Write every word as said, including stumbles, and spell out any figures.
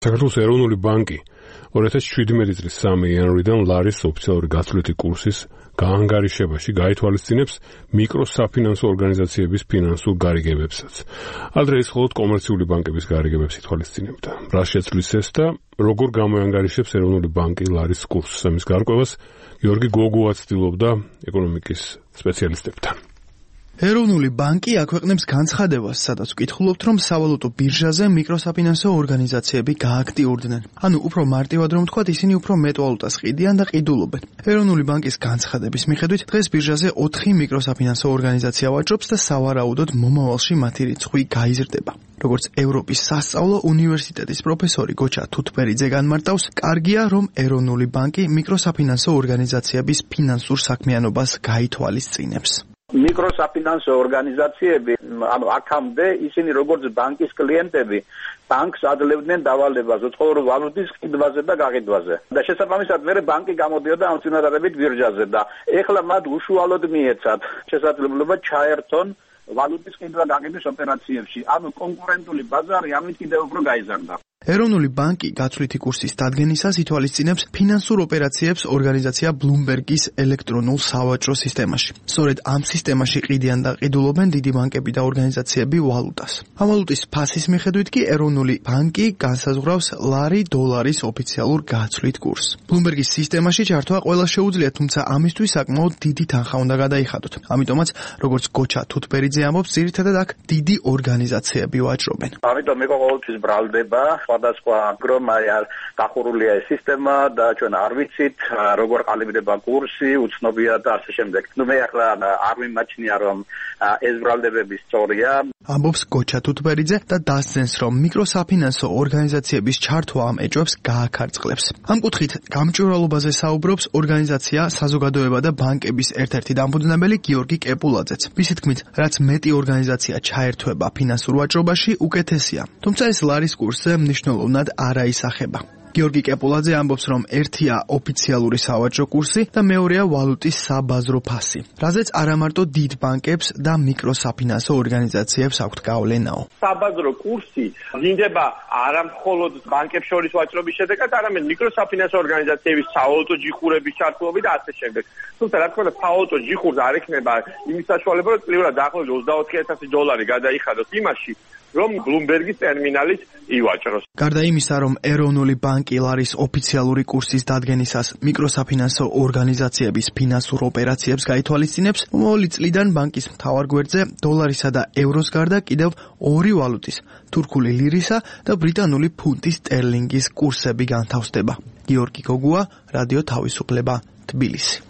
საქართველოს ეროვნული ბანკი ორი ათას შვიდმეტი წლის სამი იანვრიდან ლარის ოფიციალური გაცვლითი კურსის გაანგარიშებაში გაითვალისწინებს მიკროსაფინანსო ორგანიზაციების ფინანსურ გარიგებებსაც. ადრე ეს მხოლოდ კომერციული ბანკების გარიგებებს ითვალისწინებდა. რა შეცვლის ეს და როგორ გამოანგარიშებს ეროვნული ბანკი ლარის კურსს? ამის გარკვევას გიორგი გოგუა ცდილობდა ეკონომიკის სპეციალისტებთან. ეროვნული ბანკი აქვეყნებს განცხადებას, სადაც ვკითხულობთ, რომ სავალუტო ბირჟაზე მიკროსაფინანსო ორგანიზაციები გააქტიურდნენ. ანუ უფრო მარტივად რომ ვთქვათ, ისინი უფრო მეტ ვალუტას ყიდიან და ყიდულობენ. ეროვნული ბანკის განცხადების მიხედვით, დღეს ბირჟაზე ოთხი მიკროსაფინანსო ორგანიზაცია ვაჭრობს და სავარაუდოდ მომავალში მათი რიცხვი გაიზრდება. როგორც ევროპის სასწავლო უნივერსიტეტის პროფესორი გოჩა თუთბერიძე განმარტავს, კარგია, რომ ეროვნული ბანკი მიკროსაფინანსო ორგანიზაციების ფინანსურ საქმიანობას გაითვალისწინებს. მიკროსაფინანსო ორგანიზაციები, ანუ აქამდე ისინი როგორც ბანკის კლიენტები, ბანკს ადლებდნენ დავალებას უცხოური ვალუტის ყიდვაზე და გაყიდვაზე. და შესაბამისად მე ბანკი გამოდიოდა ამ წინადადებით ბირჟაზე და ეხლა მათ უშუალოდ მიეცათ შესაძლებლობა ჩაერთონ ვალუტის ყიდვა გაყიდვის ოპერაციებში. ანუ კონკურენტული ბაზარი ამით კიდევ უფრო გაიზარდა. ეროვნული ბანკი გაცვლითი კურსის დადგენისას ითვალისწინებს ფინანსურ ოპერაციებს ორგანიზაცია ბლუმბერგის ელექტრონულ სავაჭრო სისტემაში. სწორედ ამ სისტემაში ყიდიან და ყიდულობენ დიდი ბანკები და ორგანიზაციები ვალუტას. ამ ვალუტის ფასის მიხედვით კი ეროვნული ბანკი განსაზღვრავს ლარი დოლარის ოფიციალურ გაცვლით კურსს. ბლუმბერგის სისტემაში ჩართვა ყველა შეუძლია, თუმცა ამისთვის საკმაოდ დიდი თანხა უნდა გადაიხადოთ. ამიტომაც, როგორც გოჩა თუთბერიძე ამბობს, ძირითადად აქ დიდი ორგანიზაციები ვაჭრობენ. ამიტომ მე ყოველთვის ბრალდება სხვადასხვა გრომაა დახურულია ეს სისტემა და ჩვენ არ ვიცით როგორ ყალიბდება კურსი, უცნობია და ასე შემდეგ. ნუ მე ახლა არ მიმაჩნია რომ ეს ბრალდებები სწორია. ამბობს გოჩა თუთბერიძე და დასძენს, რომ მიკროსაფინანსო ორგანიზაციების ჩართვა ამ ეჭვებს გააქარწყლებს. ამ კუთხით გამჭვირვალობაზე საუბრობს ორგანიზაცია საზოგადოება და ბანკების ერთ-ერთი დამფუძნებელი გიორგი კეპულაძეც. მისი თქმით, რაც მეტი ორგანიზაცია ჩაერთვება ფინანსურ ვაჭრობაში, უკეთესია. თუმცა ეს ლარის კურსზე მნიშვნელოვნად არ აისახება. გიორგი კეპულაძე ამბობს, რომ ერთია ოფიციალური სავაჭრო კურსი და მეორეა ვალუტის საბაზრო ფასი, რაზეც არა მარტო დიდ ბანკებს და მიკროსაფინანსო ორგანიზაციებს აქვთ გავლენაო. საბაზრო კურსი ვლინდება არა მხოლოდ ბანკებს შორის ვაჭრობის შედეგად, არამედ მიკროსაფინანსო ორგანიზაციების სავალუტო ჯიხურების ჩართულობით და ასე შემდეგ. თუმცა რა თქმა უნდა, სავალუტო ჯიხურს არ ექნება იმის საშუალება, რომ წლიურად დაახლოებით ოცდაოთხი ათასი დოლარი გადაიხადოს იმაში, რომ ბლუმბერგის ტერმინალის ივაჭროს. გარდა იმისა, რომ ეროვნული ბანკი ლარის ოფიციალური კურსის დადგენისას მიკროსაფინანსო ორგანიზაციების ფინანსურ ოპერაციებს გაითვალისწინებს, მომავალი წლიდან ბანკის მთავარ გვერდზე დოლარისა და ევროს გარდა კიდევ ორი ვალუტის, თურქული ლირისა და ბრიტანული ფუნტის სტერლინგის კურსები განთავსდება. გიორგი გოგუა, რადიო თავისუფლება, თბილისი.